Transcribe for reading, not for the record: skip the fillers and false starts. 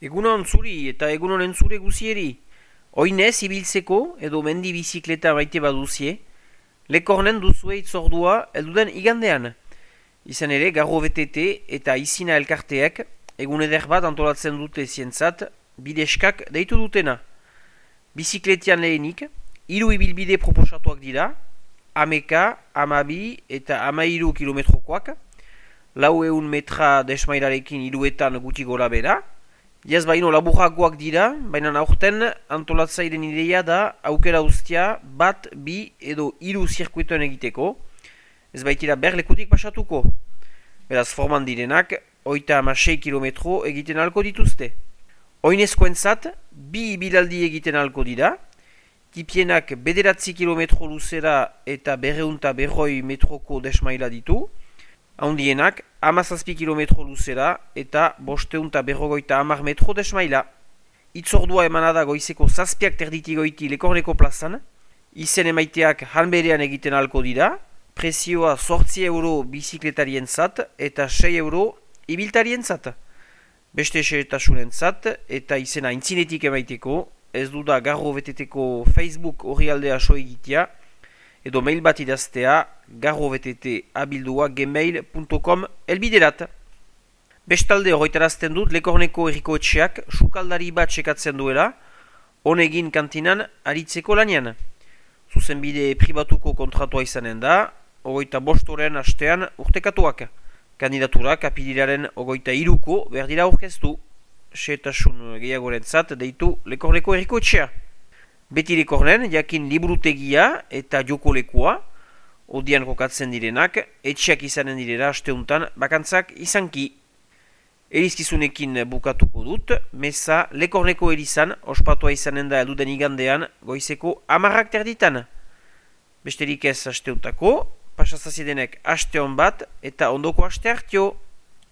Egunon zuri eta egunon entzule guzieri. Oinez ibiltzeko edo mendi bizikleta maite baduzie, lekornen duzue itzordua elduden igandean. Izan ere, Garro VTT eta Izina elkarteek egun eder bat antolatzen dute zientzat, bideskak deitu dutena. Bizikletian lehenik, 3 ibilbide proposatuak dira, 11, 12 eta 13 kilometrokoak, 400 metra desmailarekin 3etan guti gora bera. Jaz baino laburragoak dira, baina aurten antolatzairen ideia da aukera ustia bat, bi edo 3 zirkuitoen egiteko, ez baitira berlekutik pasatuko. Beraz forman direnak, 36 kilometro egiten alko dituzte. Oinezkoentzat, 2 ibilaldi egiten alko dira, tipienak 9 kilometro luzera eta 240 metroko desmaila ditu, handienak 17 kilometro luzera eta 550 metro desmaila. Itzordua emanada goizeko 7 terditigoiti Lekorneko plazan, izen emaiteak hanberean egiten alko dira, prezioa 8 euro bizikletarien zat eta 6 euro ibiltarien zat. Beste esetasunen zat eta izena intzinetik emaiteko, ez duda Garro VTTko Facebook orrialdea so egitea, edo mail bat idaztea garrovtt@gmail.com elbiderat. Bestalde horretarazten dut Lekorneko herriko etxeak sukaldari bat sekatzen duela, honegin kantinan aritzeko lanian. Zuzenbide pribatuko kontratua izanen da, 25 astean urtekatuak. Kandidaturak apiliraren 23ko berdira aurkeztu. Setasun gehiagorentzat deitu Lekorneko herriko etxea. Beti Lekornen, jakin liburutegia eta jokolekua, odian kokatzen direnak, etxeak izanen direla asteuntan bakantzak izanki. Erizkizunekin bukatuko dut, meza Lekorneko erizan, ospatua izanen da elduden igandean, goizeko 10 terditan. Besterik ez asteuntako, pasazaziedenek aste hon bat eta ondoko aste hartio.